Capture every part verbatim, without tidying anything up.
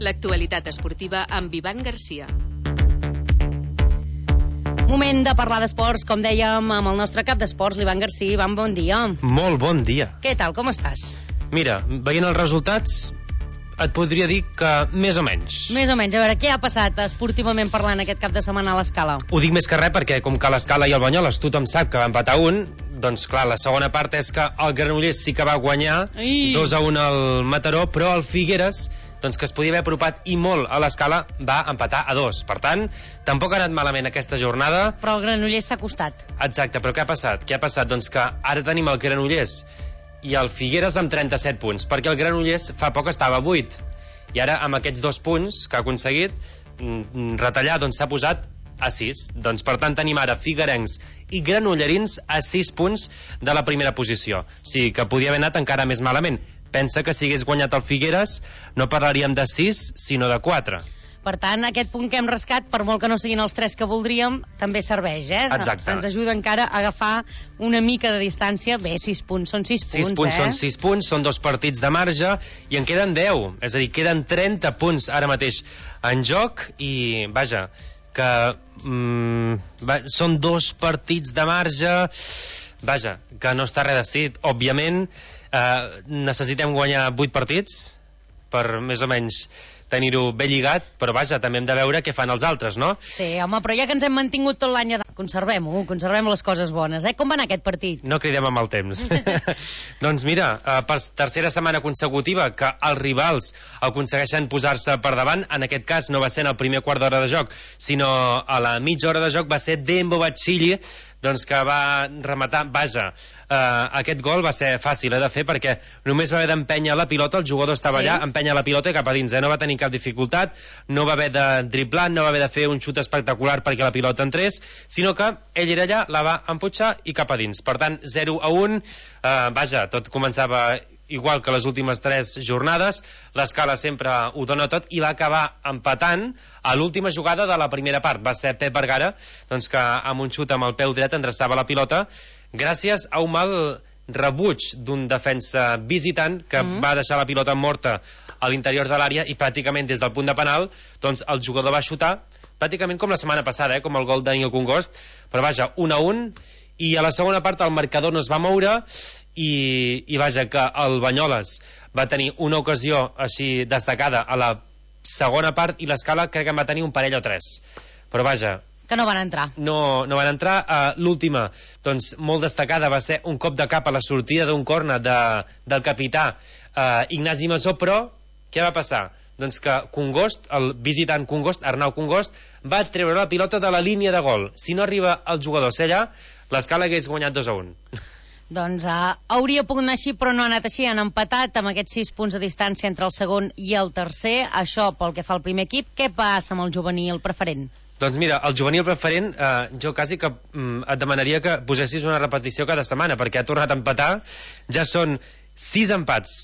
L'actualitat esportiva amb Ivan Garcia. Moment de parlar d'esports, com dèiem, amb el nostre cap d'esports, l'Ivan Garcia. Ivan, bon dia. Molt bon dia. Què tal, com estàs? Mira, veient els resultats, et podria dir que més o menys. Més o menys. A veure, què ha passat esportivament parlant aquest cap de setmana a l'Escala? Ho dic més que res perquè, com que l'Escala i el Banyoles tothom sap que va empatar un, doncs clar, la segona part és que el Granollers sí que va guanyar Ai. dos a un al Mataró, però el Figueres, doncs que es podia haver apropat i molt a l'Escala, va empatar a dos. Per tant, tampoc ha anat malament aquesta jornada. Però el Granollers s'ha costat. Exacte, però què ha passat? Què ha passat? Doncs que ara tenim el Granollers i el Figueres amb trenta-set punts, perquè el Granollers fa poc estava a vuit. I ara, amb aquests dos punts que ha aconseguit retallar, doncs s'ha posat a sis. Doncs, per tant, tenim ara figuerencs i granollerins a sis punts de la primera posició. O sigui, que podia haver anat encara més malament. Pensa que si hagués guanyat el Figueres no parlaríem de sis, sinó de quatre. Per tant, aquest punt que hem rascat, per molt que no siguin els tres que voldríem, també serveix, eh? Exacte. Ens ajuda encara a agafar una mica de distància. Bé, sis punts, són sis, sis punts, punts, eh? són sis punts, són dos partits de marge, i en queden deu. És a dir, queden trenta punts ara mateix en joc, i, vaja, que mm, va, són dos partits de marge, vaja, que no està res decidit. Òbviament, eh, necessitem guanyar vuit partits per més o menys tenir-ho ben lligat, però vaja, també hem de veure què fan els altres, no? Sí, home, però ja que ens hem mantingut tot l'any, conservem-ho, conservem les coses bones, eh? Com va anar aquest partit? No cridem amb el temps. Doncs mira, eh, per tercera setmana consecutiva que els rivals aconsegueixen posar-se per davant, en aquest cas no va ser en el primer quart d'hora de joc, sinó a la mitja hora de joc va ser Dembo Bacilli, doncs que va rematar, vaja, eh, aquest gol va ser fàcil eh, de fer perquè només va haver d'empènyer la pilota, el jugador estava sí. allà, empènyer la pilota i cap a dins, eh, no va tenir cap dificultat, no va haver de driblar, no va haver de fer un xut espectacular perquè la pilota entrés, sinó que ell era allà, la va emputxar i cap a dins. Per tant, zero a un, eh, vaja, tot començava igual que les últimes tres jornades, l'Escala sempre ho dona tot i va acabar empatant a l'última jugada de la primera part. Va ser Pep Vergara, doncs que amb un xut amb el peu dret endreçava la pilota gràcies a un mal rebuig d'un defensa visitant que mm. va deixar la pilota morta a l'interior de l'àrea i pràcticament des del punt de penal doncs el jugador va xutar pràcticament com la setmana passada, eh, com el gol d'Aniel Congost, però vaja, un a un, i a la segona part el marcador no es va moure i, i vaja, que el Banyoles va tenir una ocasió així destacada a la segona part i l'Escala crec que en va tenir un parell o tres, però vaja, que no van entrar. No, no van entrar. Uh, l'última, doncs, molt destacada, va ser un cop de cap a la sortida d'un córner de, del capità uh, Ignasi Masó, però què va passar? Doncs que Congost, el visitant Congost, Arnau Congost, va treure la pilota de la línia de gol. Si no arriba el jugador a ser allà, l'Escala hagués guanyat dos a un. Doncs uh, hauria pogut anar així, però no ha anat així. Han empatat amb aquests sis punts de distància entre el segon i el tercer. Això pel que fa al primer equip. Què passa amb el juvenil preferent? Doncs mira, el juvenil preferent, eh, jo quasi que mm, et demanaria que posessis una repetició cada setmana, perquè ha tornat a empatar. Ja són sis empats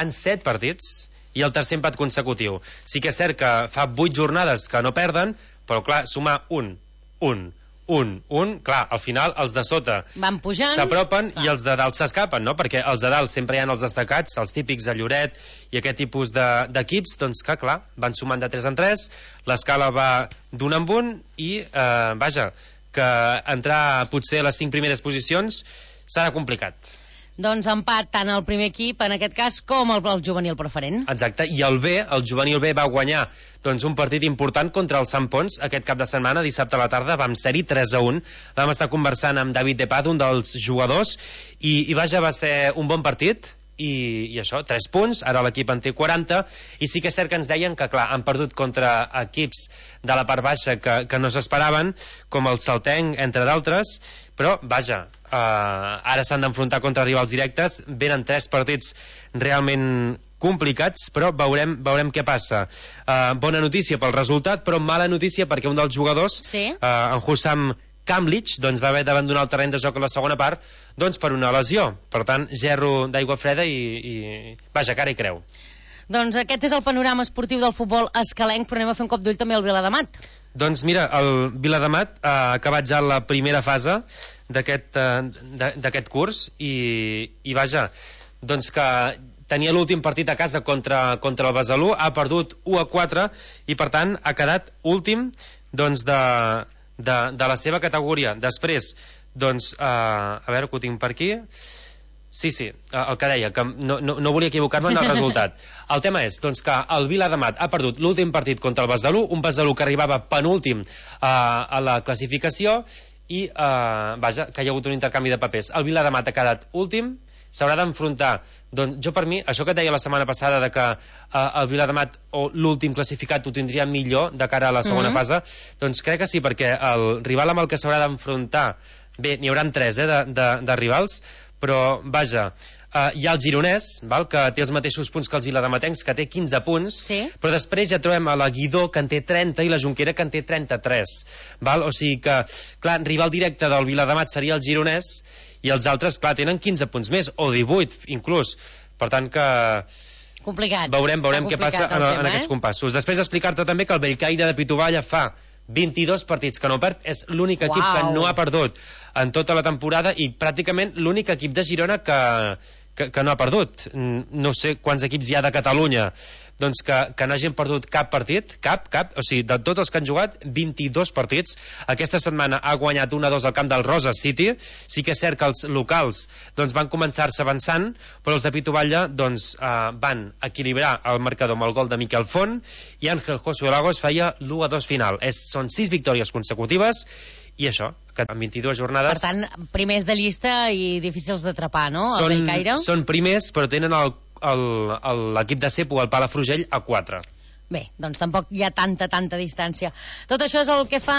en set partits i el tercer empat consecutiu. Sí que és cert que fa vuit jornades que no perden, però clar, sumar un, un, un, un, clar, al final els de sota van pujant, s'apropen i els de dalt s'escapen, no? Perquè els de dalt sempre hi ha els destacats, els típics de Lloret i aquest tipus d'equips, de, doncs que clar, van sumant de tres en tres, l'Escala va d'un en un i eh, vaja, que entrar potser a les cinc primeres posicions serà complicat. Doncs empat tant el primer equip, en aquest cas, com el, el juvenil preferent. Exacte, i el B, el juvenil B va guanyar doncs, un partit important contra el Sant Pons aquest cap de setmana, dissabte a la tarda, vam ser-hi tres a un, vam estar conversant amb David Depad, un dels jugadors, i, i vaja, va ser un bon partit, i, i això, tres punts, ara l'equip en té quaranta, i sí que és cert que ens deien que, clar, han perdut contra equips de la part baixa que, que no s'esperaven, com el Saltenc, entre d'altres, però, vaja, uh, ara s'han d'enfrontar contra rivals directes, venen tres partits realment complicats, però veurem, veurem què passa. Uh, bona notícia pel resultat, però mala notícia perquè un dels jugadors, sí? uh, en Hussam Kamlich, doncs va haver d'abandonar el terreny de joc a la segona part doncs per una lesió. Per tant, gerro d'aigua freda i, i... vaja, cara i creu. Doncs aquest és el panorama esportiu del futbol escalenc, però anem a fer un cop d'ull també al Viladamat. Doncs mira, el Viladamat ha acabat ja la primera fase d'aquest uh, curs i, i vaja, doncs que tenia l'últim partit a casa contra, contra el Besalú, ha perdut u a quatre i per tant ha quedat últim doncs, de, de, de la seva categoria. Després, doncs, eh, a veure que ho tinc per aquí. Sí, sí, el que deia, que no, no, no volia equivocar-me en el resultat. El tema és doncs, que el Viladamat ha perdut l'últim partit contra el Besalú, un Besalú que arribava penúltim eh, a la classificació i, eh, vaja, que hi ha hagut un intercanvi de papers. El Viladamat ha quedat últim, s'haurà d'enfrontar, doncs jo per mi, això que et deia la setmana passada de que eh, el Viladamat o l'últim classificat ho tindria millor de cara a la segona mm-hmm. fase, doncs crec que sí, perquè el rival amb el que s'haurà d'enfrontar, bé, n'hi haurà tres eh, de, de, de rivals, però vaja, uh, hi ha el Gironès, val, que té els mateixos punts que els viladamatencs, que té quinze punts, sí. Però després ja trobem a la Guidó, que en té trenta, i la Jonquera, que en té trenta-tres. Val? O sigui que, clar, rival directe del Viladamat seria el Gironès, i els altres, clar, tenen quinze punts més, o divuit, inclús. Per tant que... Complicat. Veurem, veurem què passa en, tema, en aquests eh? compassos. Després explicar-te també que el Bellcaire de Pitovalla fa vint-i-dos partits que no perd, és l'únic equip Uau. que no ha perdut en tota la temporada i pràcticament l'únic equip de Girona que, que, que no ha perdut. No sé quants equips hi ha de Catalunya doncs que, que no hagin perdut cap partit, cap, cap, o sigui, de tots els que han jugat, vint-i-dos partits. Aquesta setmana ha guanyat un a dos al camp del Rosa City. Sí que és cert que els locals doncs, van començar-se avançant, però els de Pitovalla doncs, eh, van equilibrar el marcador amb el gol de Miquel Font i Àngel Josué Lagos feia l'u a dos final. És, són sis victòries consecutives i això, que en vint-i-dues jornades... Per tant, primers de llista i difícils d'atrapar, no? Són, el Bellcaire. Són primers, però tenen el l'equip de Cepo, el Palafrugell, a quatre. Bé, doncs tampoc hi ha tanta, tanta distància. Tot això és el que fa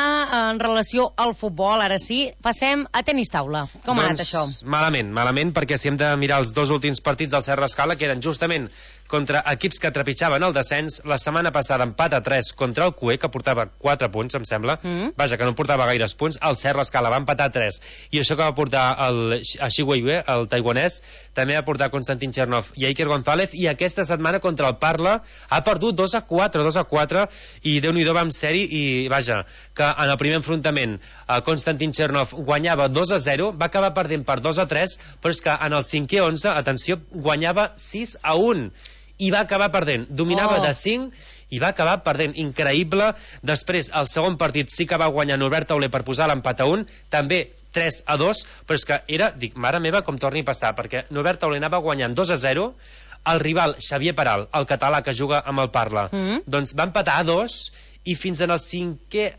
en relació al futbol. Ara sí, passem a tenis taula. Com doncs, ha anat això? Malament, malament, perquè si hem de mirar els dos últims partits del Serra Escala, que eren justament contra equips que trepitjaven el descens, la setmana passada empat a tres contra el Cué, que portava quatre punts, em sembla. Mm. Vaja, que no portava gaires punts. El Serra Escala va empatar a tres. I això que va portar el Xi Weiyue, el taiwanès, també va portar Konstantin Chernov i Iker González, i aquesta setmana contra el Parla ha perdut dos a quatre, dos a quatre, i Déu-n'hi-do va amb sèrie, i vaja, que en el primer enfrontament eh, Konstantin Chernov guanyava dos a zero, va acabar perdent per dos a tres, però és que en el cinquè onze, atenció, guanyava sis a un, i va acabar perdent, dominava oh. de cinc i va acabar perdent, increïble. Després el segon partit sí que va guanyar Norbert Tauler per posar l'empat a un, també tres a dos, però és que era, dic, mare meva, com torni a passar, perquè Norbert Tauler anava guanyant dos a zero, el rival Xavier Peral, el català que juga amb el Parla, mm. doncs va empatar a dos, i fins en el cinquè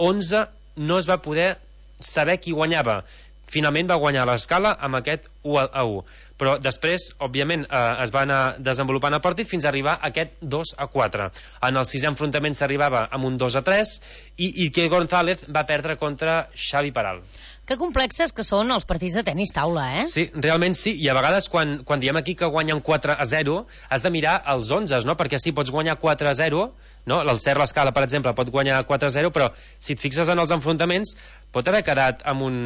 onze no es va poder saber qui guanyava. Finalment va guanyar l'Escala amb aquest u a u, però després, òbviament, eh, es va anar desenvolupant el partit fins a arribar a aquest dos a quatre. En el sisè enfrontament s'arribava amb un dos a tres i Iker González va perdre contra Xavi Peral. Que complexes que són els partits de tenis taula, eh? Sí, realment sí, i a vegades quan, quan diem aquí que guanyen quatre a zero, has de mirar els onze, no? Perquè sí, pots guanyar quatre a zero, no? El Serra Escala, per exemple, pot guanyar quatre a zero, però si et fixes en els enfrontaments, pot haver quedat amb un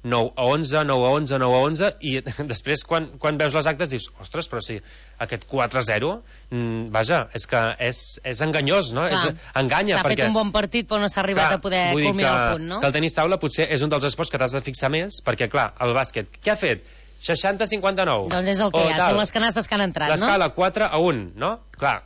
nou a onze, nou a onze, nou a onze, i després quan, quan veus les actes dius, ostres, però sí, aquest quatre a zero, mm, vaja, és que és, és enganyós, no? És, enganya, s'ha perquè... fet un bon partit però no s'ha arribat clar, a poder culminar el punt, no? Que el tenis taula potser és un dels esports que t'has de fixar més, perquè clar, el bàsquet, què ha fet? seixanta a cinquanta-nou. Doncs és el que hi ha, són les canastes que han entrat, no? L'escala quatre a un, no? Clar,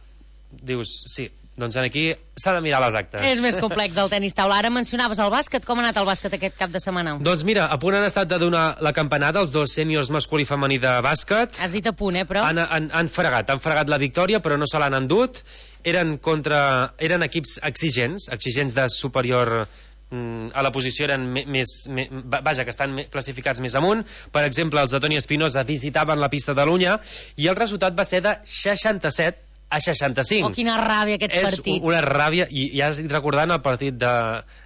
dius, sí, doncs aquí s'ha de mirar les actes. És més complex el tenis taula. Ara mencionaves el bàsquet, com ha anat el bàsquet aquest cap de setmana? Doncs mira, a punt han estat de donar la campanada els dos sèniors masculí i femení de bàsquet. Has dit a punt, eh, però? Han, han, han fregat, han fregat la victòria, però no se l'han endut. Eren contra... eren equips exigents, exigents de superior... a la posició eren més, més vaja, que estan classificats més amunt. Per exemple, els de Toni Espinosa visitaven la pista de l'Unya i el resultat va ser de seixanta-set a seixanta-cinc. Oh, quina ràbia aquests és partits. És una ràbia, i ja estic recordant el partit de,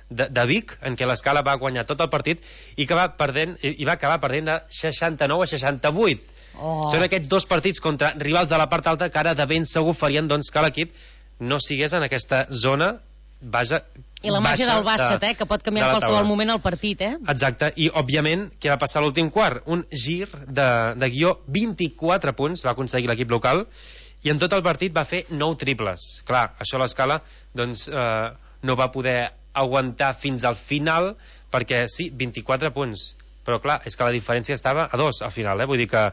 de, de Vic, en què l'Escala va guanyar tot el partit i que va perdent, i va acabar perdent de seixanta-nou a seixanta-vuit. Oh. Són aquests dos partits contra rivals de la part alta que ara de ben segur farien doncs, que l'equip no sigués en aquesta zona, vaja, i la màgia del bàsquet, de, eh, que pot canviar en qualsevol moment el partit, eh? Exacte, i òbviament què va passar a l'últim quart? Un gir de, de guió, vint-i-quatre punts va aconseguir l'equip local, i en tot el partit va fer nou triples. Clar, això a l'Escala doncs, eh, no va poder aguantar fins al final, perquè sí, vint-i-quatre punts, però clar, és que la diferència estava a dos al final, eh? Vull dir que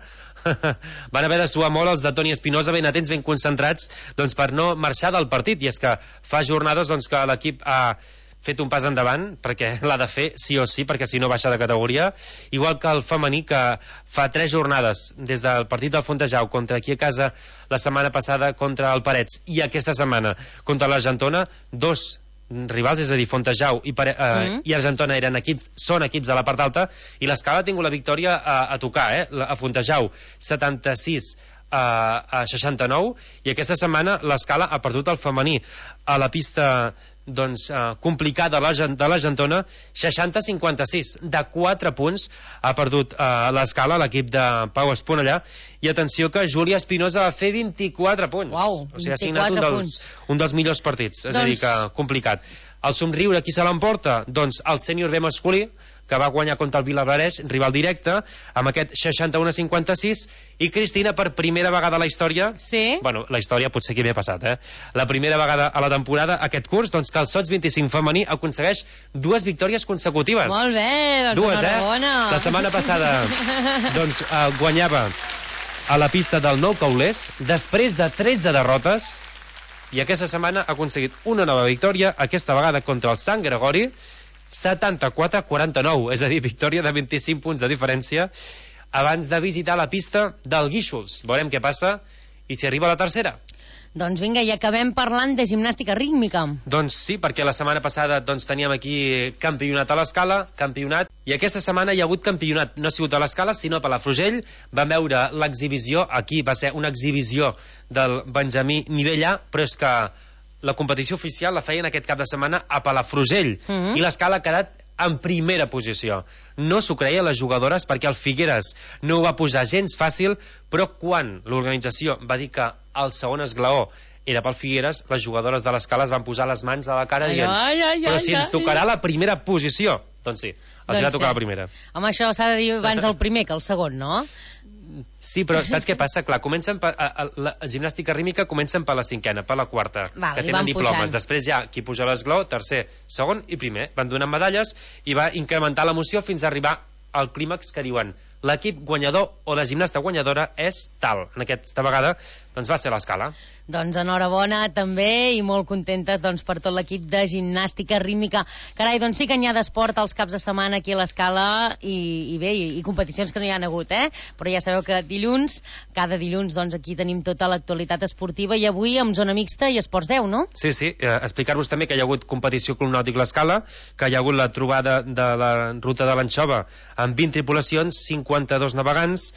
van haver de suar molt els de Toni Espinosa, ben atents, ben concentrats, doncs per no marxar del partit, i és que fa jornades doncs, que l'equip ha fet un pas endavant, perquè l'ha de fer sí o sí, perquè si no baixa de categoria, igual que el femení, que fa tres jornades des del partit del Fontejau contra aquí a casa la setmana passada contra el Parets, i aquesta setmana contra l'Argentona, dos rivals, és a dir, Fontejau i, Pare, eh, mm. i Argentona eren equips, són equips de la part alta, i l'Escala ha tingut la victòria a, a tocar, eh? A Fontejau setanta-sis a, a seixanta-nou, i aquesta setmana l'Escala ha perdut el femení a la pista doncs, uh, complicada de l'Argentona, seixanta a cinquanta-sis, de quatre punts ha perdut uh, l'Escala, l'equip de Pau Esponellà, i atenció que Júlia Espinosa va fer vint-i-quatre punts. Uau, o sigui, ha signat un dels, un dels millors partits, és doncs... a dir, que complicat. El somriure, qui se l'emporta? Doncs el sènior B masculí, que va guanyar contra el Vilablareix, rival directe, amb aquest seixanta-u a cinquanta-sis, i Cristina, per primera vegada a la història, sí? bueno, la història potser que m'he passat, eh? La primera vegada a la temporada, aquest curs, doncs que el Sots vint-i-cinc femení aconsegueix dues victòries consecutives. Molt bé, doncs dues, enhorabona. Eh? La setmana passada, doncs, eh, guanyava a la pista del Nou Caulers, després de tretze derrotes, i aquesta setmana ha aconseguit una nova victòria, aquesta vegada contra el Sant Gregori, setanta-quatre a quaranta-nou, és a dir, victòria de vint-i-cinc punts de diferència, abans de visitar la pista del Guíxols. Veurem què passa i si arriba a la tercera. Doncs vinga, i acabem parlant de gimnàstica rítmica. Doncs sí, perquè la setmana passada doncs, teníem aquí campionat a l'Escala, campionat, i aquesta setmana hi ha hagut campionat, no ha sigut a l'Escala, sinó a Palafrugell. Vam veure l'exhibició, aquí va ser una exhibició del Benjamí nivell A, però és que la competició oficial la feien aquest cap de setmana a Palafrugell, mm-hmm. i l'Escala ha quedat en primera posició. No s'ho creien les jugadores, perquè el Figueres no ho va posar gens fàcil, però quan l'organització va dir que el segon esglaó era pel Figueres, les jugadores de l'Escala es van posar les mans a la cara dient, ai, ai, ai, però si ens tocarà la primera posició. Doncs sí, els doncs va tocar sí. La primera. Home, això s'ha de dir abans el primer que el segon, no? Sí, però saps què passa? Clar, comencen per, a, a, la gimnàstica rítmica comencen per la cinquena, per la quarta, Val, que tenen diplomes. Pujant. Després ja qui puja l'esglaó, tercer, segon i primer. Van donant medalles i va incrementar l'emoció fins a arribar al clímax que diuen l'equip guanyador o la gimnasta guanyadora és tal. En aquesta vegada doncs va ser l'Escala. Doncs enhorabona també, i molt contentes doncs, per tot l'equip de gimnàstica rítmica. Carai, doncs sí que n'hi ha d'esport als caps de setmana aquí a l'Escala, i, i bé, i, i competicions que no hi han hagut, eh? Però ja sabeu que dilluns, cada dilluns, doncs aquí tenim tota l'actualitat esportiva, i avui amb zona mixta i esports deu, no? Sí, sí, eh, explicar-vos també que hi ha hagut competició Club Nàutic l'Escala, que hi ha hagut la trobada de la ruta de l'Anxova amb vint tripulacions, cinquanta-dos navegants.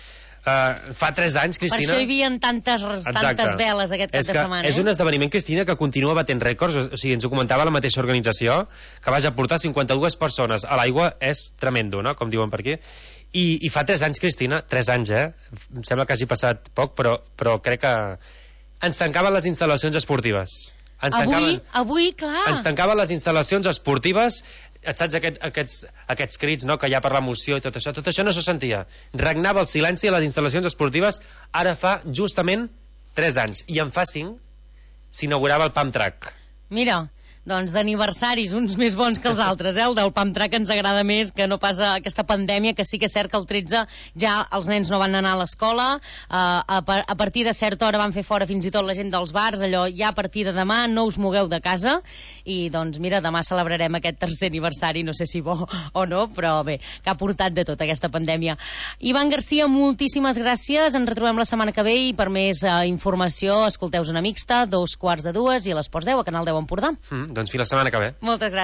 Uh, fa tres anys, Cristina... Per això hi havia tantes, tantes veles aquest cap és de setmana. És eh? un esdeveniment, Cristina, que continua batent rècords. O sigui, ens ho comentava la mateixa organització, que vaja portar cinquanta-dues persones a l'aigua és tremendo, no?, com diuen per aquí. I, i fa tres anys, Cristina, tres anys, eh? Em sembla que hagi passat poc, però, però crec que ens tancaven les instal·lacions esportives. Ens avui, tancaven, avui, clar. Ens tancaven les instal·lacions esportives, saps, aquest, aquests, aquests crits, no?, que hi ha per l'emoció i tot això, tot això no se sentia. Regnava el silenci a les instal·lacions esportives. Ara fa justament tres anys, i en fa cinc s'inaugurava el Pump Track. Mira, doncs d'aniversaris uns més bons que els altres, eh? El del Pump Track ens agrada més que no pas aquesta pandèmia, que sí que és cert que el tretze ja els nens no van anar a l'escola, uh, a, a partir de certa hora van fer fora fins i tot la gent dels bars, allò ja a partir de demà no us mogueu de casa, i doncs mira, demà celebrarem aquest tercer aniversari, no sé si bo o no, però bé, que ha portat de tot aquesta pandèmia. Ivan Garcia, moltíssimes gràcies, ens retrobem la setmana que ve, i per més uh, informació escolteu Zona Mixta, dos quarts de dues, i a l'Esports deu, a Canal deu Empordà. Mm, doncs fins la setmana que ve. Moltes gràcies.